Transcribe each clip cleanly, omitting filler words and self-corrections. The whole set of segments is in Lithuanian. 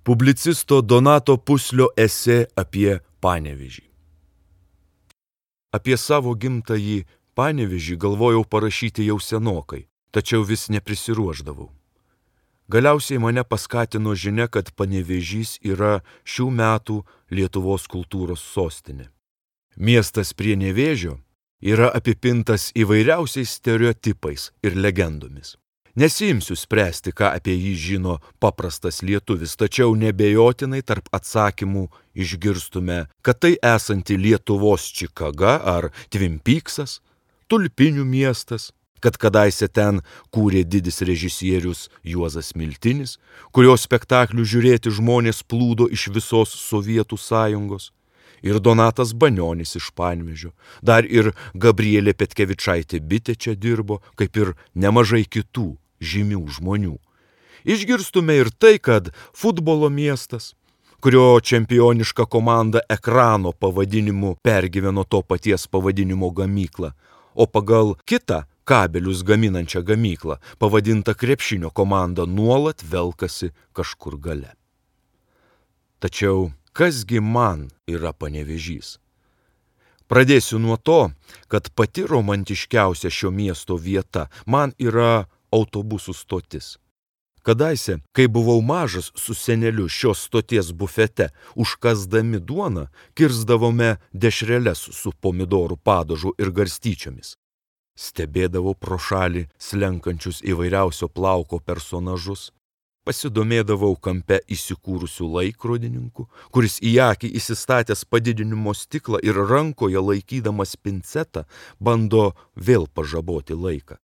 Publicisto Donato Puslio esė apie Panevėžį. Apie savo gimtąjį Panevėžį galvojau parašyti jau senokai, tačiau vis neprisiruošdavau. Galiausiai mane paskatino žinia, kad Panevėžys yra šių metų Lietuvos kultūros sostinė. Miestas prie Nevėžio yra apipintas įvairiausiais stereotipais ir legendomis. Nesiimsiu spręsti, ką apie jį žino paprastas lietuvis, tačiau nebejotinai tarp atsakymų išgirstume, kad tai esanti Lietuvos Čikaga ar Twin Peaksas, tulpinių miestas, kad kadaise ten kūrė didis režisierius Juozas Miltinis, kurio spektaklių žiūrėti žmonės plūdo iš visos Sovietų sąjungos, ir Donatas Banionis iš Panevėžio, dar ir Gabrielė Petkevičaitė Bitė čia dirbo, kaip ir nemažai kitų žymių žmonių. Išgirstume ir tai, kad futbolo miestas, kurio čempioniška komanda ekrano pavadinimu pergyveno to paties pavadinimo gamyklą, o pagal kitą kabelius gaminančią gamyklą, pavadinta krepšinio komanda, nuolat velkasi kažkur gale. Tačiau kasgi man yra Panevėžys? Pradėsiu nuo to, kad pati romantiškiausia šio miesto vieta man yra autobusų stotis. Kadaise, kai buvau mažas su seneliu šios stoties bufete, užkasdami duoną, kirsdavome dešreles su pomidorų padažu ir garstyčiomis. Stebėdavau pro šalį slenkančius įvairiausio plauko personažus, pasidomėdavau kampe įsikūrusių laikrodininku, kuris į akį įsistatęs padidinimo stiklą ir rankoje laikydamas pincetą bando vėl pažaboti laiką.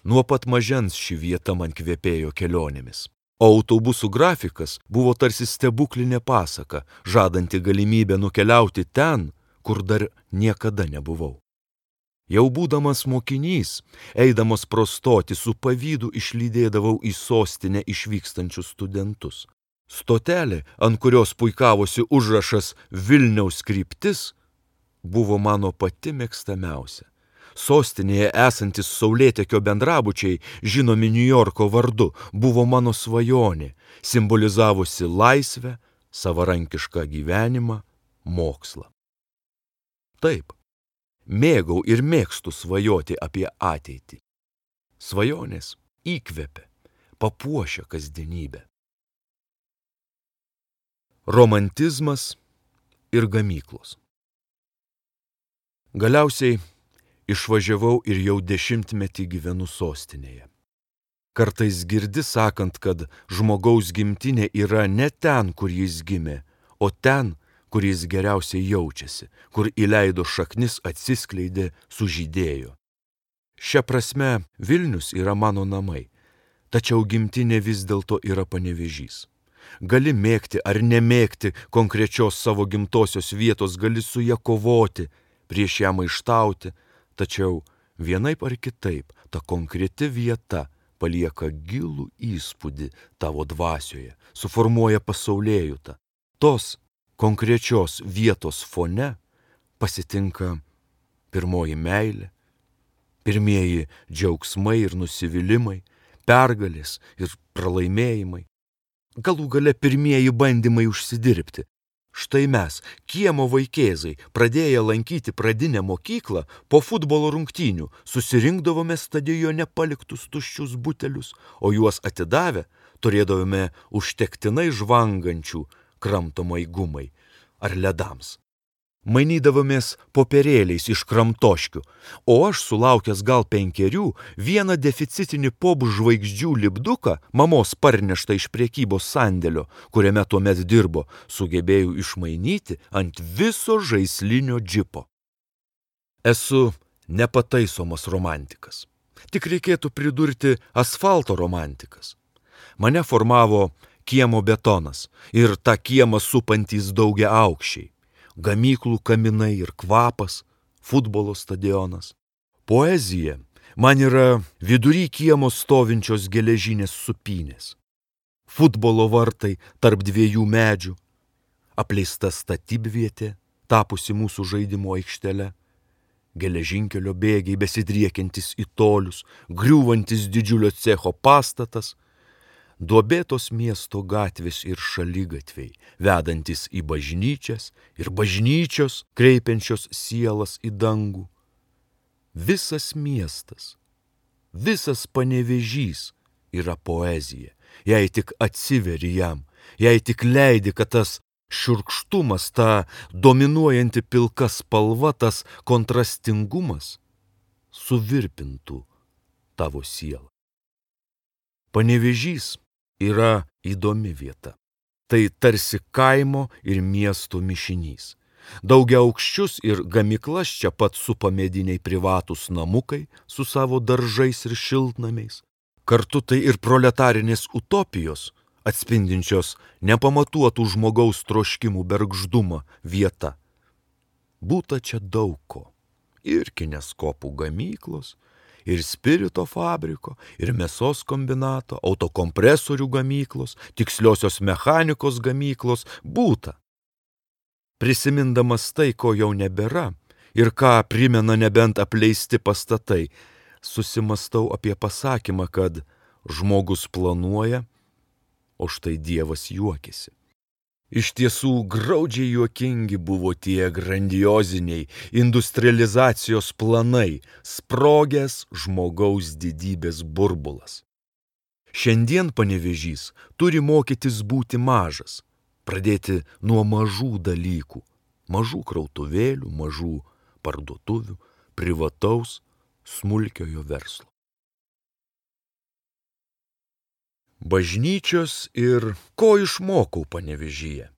Nuo pat mažens ši vieta man kvepėjo kelionėmis, o autobusų grafikas buvo tarsi stebuklinė pasaka, žadanti galimybę nukeliauti ten, kur dar niekada nebuvau. Jau būdamas mokinys, eidamas pro stotį, su pavydu išlydėdavau į sostinę išvykstančius studentus. Stotelė, ant kurios puikavosi užrašas Vilniaus kryptis, buvo mano pati mėgstamiausia. Sostinėje esantis saulėtekio bendrabučiai, žinomi Niujorko vardu, buvo mano svajonė, simbolizavusi laisvę, savarankišką gyvenimą, mokslą. Taip, mėgau ir mėgstu svajoti apie ateitį. Svajonės įkvepia, papuošia kasdienybę. Romantizmas ir gamyklos. Galiausiai išvažiavau ir jau 10 metį gyvenu sostinėje. Kartais girdi sakant, kad žmogaus gimtinė yra ne ten, kur jis gimė, o ten, kur jis geriausiai jaučiasi, kur įleido šaknis, atsiskleidė, sužydėjo. Šia prasme Vilnius yra mano namai, tačiau gimtinė vis dėlto yra Panevėžys. Gali mėgti ar nemėgti konkrečios savo gimtosios vietos, gali su ja kovoti, prieš ją maištauti, tačiau vienaip ar kitaip ta konkreti vieta palieka gilų įspūdį tavo dvasioje, suformuoja pasaulėjautą. Tos konkrečios vietos fone pasitinka pirmoji meilė, pirmieji džiaugsmai ir nusivylimai, pergalės ir pralaimėjimai, galų gale pirmieji bandymai užsidirbti. Štai mes, kiemo vaikėzai, pradėję lankyti pradinę mokyklą, po futbolo rungtynių susirinkdavome stadione paliktus tuščius butelius, o juos atidavę turėdavome užtektinai žvangančių kramtomai gumai ar ledams. Mainydavomės popierėliais iš kramtoškių, o aš, sulaukęs gal 5, vieną deficitinį žvaigždžių lipduką, mamos parneštą iš prekybos sandėlio, kuriame tuomet dirbo, sugebėjau išmainyti ant viso žaislinio džipo. Esu nepataisomas romantikas. Tik reikėtų pridurti asfalto romantikas. Mane formavo kiemo betonas ir tą kiemą supantys daugiaaukščiai. Gamyklų kaminai ir kvapas, futbolo stadionas. Poezija man yra vidury kiemo stovinčios geležinės supynės. Futbolo vartai tarp 2 medžių, apleista statybvietė, tapusi mūsų žaidimo aikštele, geležinkelio bėgiai besidriekiantis į tolius, griūvantis didžiulio cecho pastatas, duobėtos miesto gatvės ir šaligatviai, vedantis į bažnyčias ir bažnyčios, kreipiančios sielas į dangų. Visas miestas, visas Panevėžys yra poezija, jei tik atsiveri jam, jei tik leidi, kad tas šiurkštumas, ta dominuojanti pilka spalva, tas kontrastingumas suvirpintų tavo sielą. Panevėžys yra įdomi vieta. Tai tarsi kaimo ir miesto mišinys. Daugiaaukščius ir gamyklas čia pat supa mediniai privatūs namukai su savo daržais ir šiltnamiais. Kartu tai ir proletarinės utopijos, atspindinčios nepamatuotų žmogaus troškimų bergždumą vieta. Būta čia daug ko. Ir kineskopų gamyklos, ir spirito fabriko, ir mėsos kombinato, autokompresorių gamyklos, tiksliosios mechanikos gamyklos būta. Prisimindamas tai, ko jau nebėra, ir ką primena nebent apleisti pastatai, susimastau apie pasakymą, kad žmogus planuoja, o štai Dievas juokiasi. Iš tiesų graudžiai juokingi buvo tie grandioziniai industrializacijos planai, sprogęs žmogaus didybės burbulas. Šiandien Panevėžys turi mokytis būti mažas, pradėti nuo mažų dalykų, mažų krautuvėlių, mažų parduotuvių, privataus, smulkiojo verslo. Bažnyčios ir ko išmokau Panevėžyje.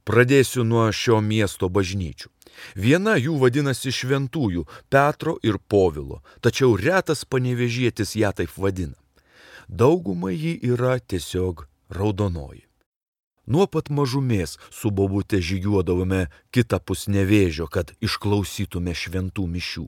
Pradėsiu nuo šio miesto bažnyčių. Viena jų vadinasi Šventųjų Petro ir Povilo, tačiau retas panevėžietis ją taip vadina. Dauguma ji yra tiesiog raudonoji. Nuo pat mažumės su bobute žygiuodavome kitapus Nevėžio, kad išklausytume šventų mišių.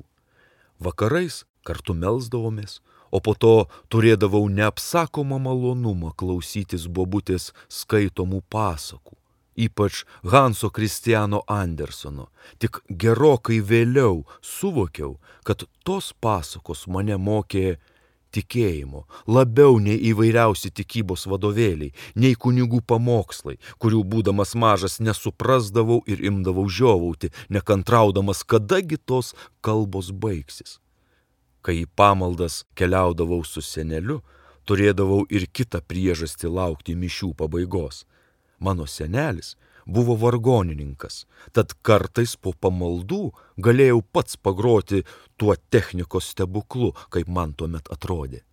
Vakarais kartu melsdavomės, o po to turėdavau neapsakomą malonumą klausytis bobutės skaitomų pasakų, ypač Hanso Kristiano Andersono. Tik gerokai vėliau suvokiau, kad tos pasakos mane mokė tikėjimo, labiau nei įvairiausi tikybos vadovėliai, nei kunigų pamokslai, kurių būdamas mažas nesuprasdavau ir imdavau žiovauti, nekantraudamas, kadagi tos kalbos baigsis. Kai į pamaldas keliaudavau su seneliu, turėdavau ir kitą priežastį laukti mišių pabaigos. Mano senelis buvo vargonininkas, tad kartais po pamaldų galėjau pats pagroti tuo technikos stebuklu, kaip man tuomet atrodė.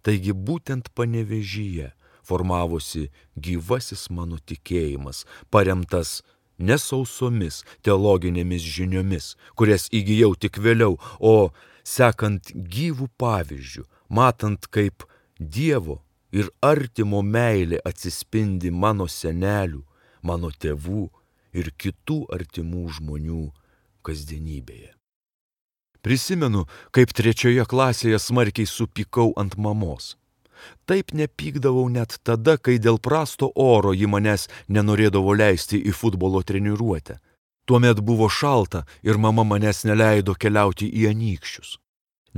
Taigi būtent Panevėžyje formavosi gyvasis mano tikėjimas, paremtas nesausomis teologinėmis žiniomis, kurias įgijau tik vėliau, o sekant gyvų pavyzdžių, matant, kaip Dievo ir artimo meilė atsispindi mano senelių, mano tėvų ir kitų artimų žmonių kasdienybėje. Prisimenu, kaip 3 klasėje smarkiai supykau ant mamos. Taip nepykdavau net tada, kai dėl prasto oro ji manęs nenorėdavo leisti į futbolo treniruotę. Tuomet buvo šalta ir mama manęs neleido keliauti į Anykščius.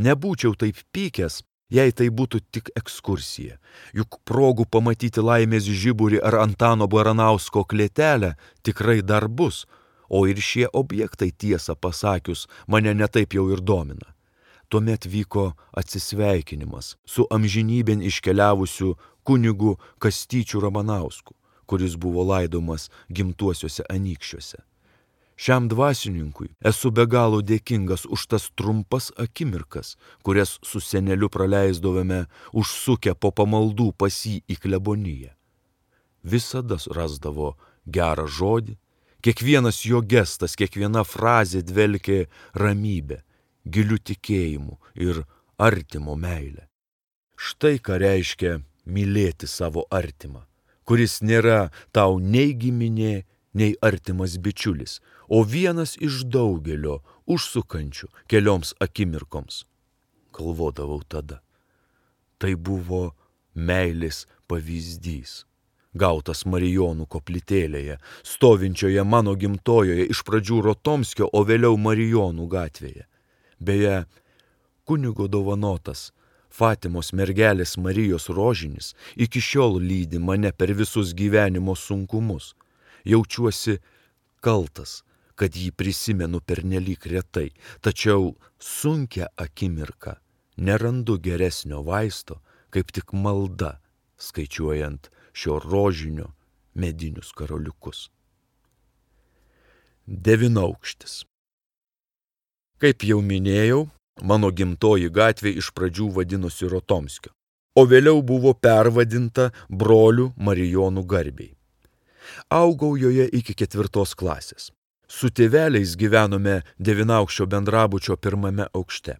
Nebūčiau taip pykęs, jei tai būtų tik ekskursija. Juk progų pamatyti laimės žiburį ar Antano Baranausko klėtelę tikrai dar bus, o ir šie objektai, tiesą pasakius, mane netaip jau ir domina. Tuomet vyko atsisveikinimas su amžinybėn iškeliavusiu kunigu Kastyčiu Ramanausku, kuris buvo laidomas gimtuosiuose Anykščiuose. Šiam dvasininkui esu be galo dėkingas už tas trumpas akimirkas, kurias su seneliu praleisdavome užsukę po pamaldų pas jį į kleboniją. Visada rasdavo gerą žodį, kiekvienas jo gestas, kiekviena frazė dvelkė ramybė, giliu tikėjimu ir artimo meilę. Štai ką reiškia mylėti savo artimą, kuris nėra tau nei giminė, nei artimas bičiulis, o vienas iš daugelio užsukančių kelioms akimirkoms. Galvodavau tada. Tai buvo meilės pavyzdys, gautas Marijonų koplytėlėje, stovinčioje mano gimtojoje iš pradžių Rotomskio, o vėliau Marijonų gatvėje. Beje, kunigo dovanotas Fatimos mergelės Marijos rožinis iki šiol lydi mane per visus gyvenimo sunkumus. Jaučiuosi kaltas, kad jį prisimenu pernelyg retai, tačiau sunkia akimirka nerandu geresnio vaisto, kaip tik malda, skaičiuojant šio rožinio medinius karoliukus. Devynaukštis. Kaip jau minėjau, mano gimtoji gatvė iš pradžių vadinosi Rotomskio, o vėliau buvo pervadinta brolių Marijonų garbei. Augau joje iki 4 klasės. Su tėveliais gyvenome Devynaukščio bendrabučio 1 aukšte.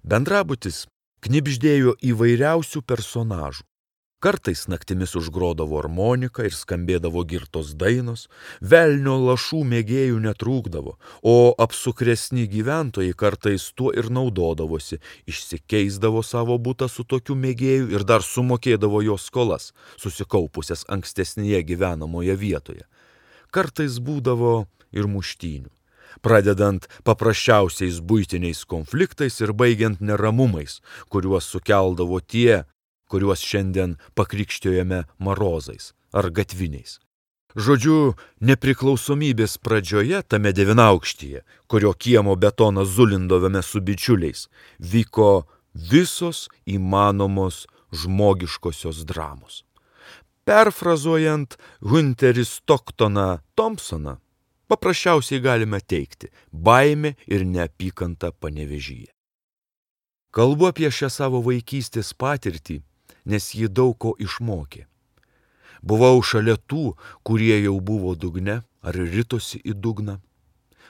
Bendrabutis knibždėjo įvairiausių personažų. Kartais naktimis užgrodavo armonika ir skambėdavo girtos dainos, velnio lašų mėgėjų netrūkdavo, o apsukresni gyventojai kartais tuo ir naudodavosi, išsikeisdavo savo butą su tokiu mėgėju ir dar sumokėdavo jo skolas, susikaupusias ankstesnėje gyvenamoje vietoje. Kartais būdavo ir muštynių, pradedant paprasčiausiais buitiniais konfliktais ir baigiant neramumais, kuriuos sukeldavo tie, kuriuos šiandien pakrikštijome marozais ar gatviniais. Žodžiu, nepriklausomybės pradžioje tame Devynaukštyje, kurio kiemo betoną zulindavome su bičiuliais, vyko visos įmanomos žmogiškosios dramos. Perfrazuojant Hunterį Stoktoną Thompsoną, paprasčiausiai galime teigti baimė ir neapykanta Panevėžyje. Kalbu apie šią savo vaikystės patirtį, nes ji daug ko išmokė. Buvau šalia tų, kurie jau buvo dugne ar ritosi į dugną.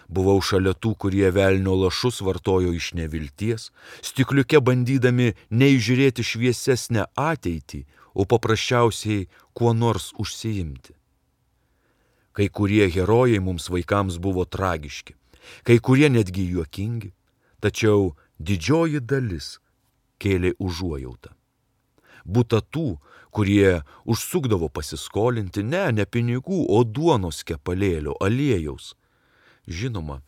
Buvau šalia tų, kurie velnio lašus vartojo iš nevilties, stikliuke bandydami neįžiūrėti šviesesnę ateitį, o paprasčiausiai kuo nors užsiimti. Kai kurie herojai mums vaikams buvo tragiški, kai kurie netgi juokingi, tačiau didžioji dalis kėlė užuojautą. Būta tų, kurie užsukdavo pasiskolinti ne pinigų, o duonos kepalėlio, aliejaus. Žinoma,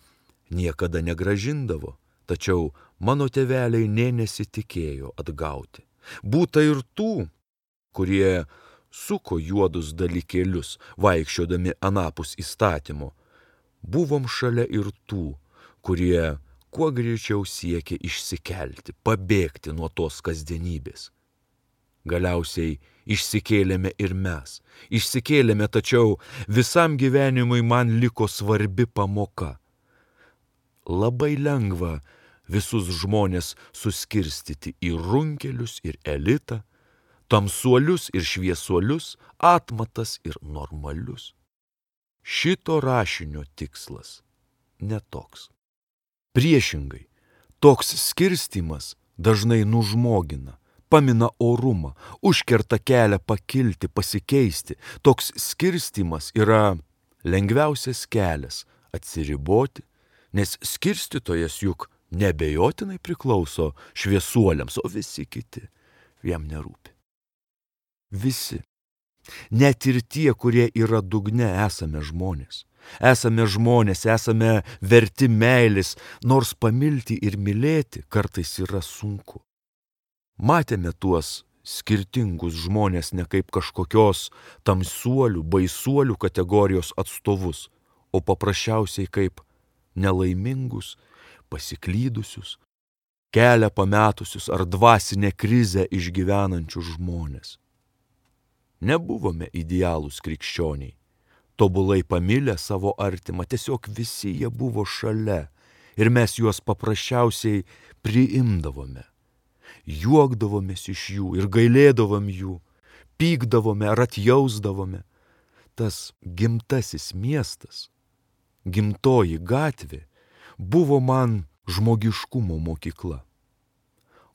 niekada negrąžindavo, tačiau mano tėveliai nė nesitikėjo atgauti. Būta ir tų, kurie suko juodus dalykėlius, vaikščiodami anapus įstatymo. Buvom šalia ir tų, kurie kuo greičiau siekė išsikelti, pabėgti nuo tos kasdienybės. Galiausiai išsikėlėme ir mes. Išsikėlėme, tačiau visam gyvenimui man liko svarbi pamoka. Labai lengva visus žmonės suskirstyti į runkelius ir elitą, tamsuolius ir šviesuolius, atmatas ir normalius. Šito rašinio tikslas netoks. Priešingai, toks skirstymas dažnai nužmogina, pamina orumą, užkerta kelią pakilti, pasikeisti. Toks skirstymas yra lengviausias kelias atsiriboti, nes skirstytojas juk neabejotinai priklauso šviesuoliams, o visi kiti jam nerūpi. Visi, net ir tie, kurie yra dugne, esame žmonės. Esame žmonės, esame verti meilės, nors pamilti ir mylėti kartais yra sunku. Matėme tuos skirtingus žmonės ne kaip kažkokios tamsuolių, baisuolių kategorijos atstovus, o paprasčiausiai kaip nelaimingus, pasiklydusius, kelią pametusius ar dvasinę krizę išgyvenančius žmonės. Nebuvome idealūs krikščioniai, tobulai pamilę savo artimą, tiesiog visi jie buvo šalia ir mes juos paprasčiausiai priimdavome. Juokdavomės iš jų ir gailėdavom jų, pykdavome ar atjausdavome. Tas gimtasis miestas, gimtoji gatvė buvo man žmogiškumo mokykla.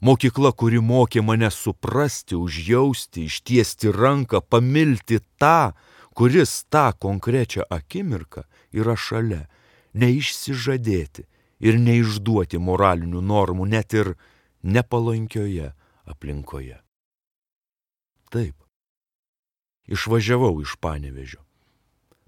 Mokykla, kuri mokė mane suprasti, užjausti, ištiesti ranką, pamilti tą, kuris tą konkrečią akimirką yra šalia, neišsižadėti ir neišduoti moralinių normų, net ir nepalankioje aplinkoje. Taip, išvažiavau iš Panevėžio,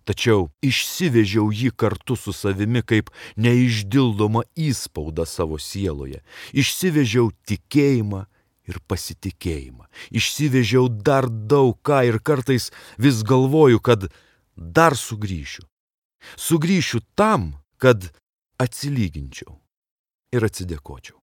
tačiau išsivežiau jį kartu su savimi kaip neišdildomą įspaudą savo sieloje. Išsivežiau tikėjimą ir pasitikėjimą. Išsivežiau dar daug ką ir kartais vis galvoju, kad dar sugrįšiu. Sugrįšiu tam, kad atsilyginčiau ir atsidėkočiau.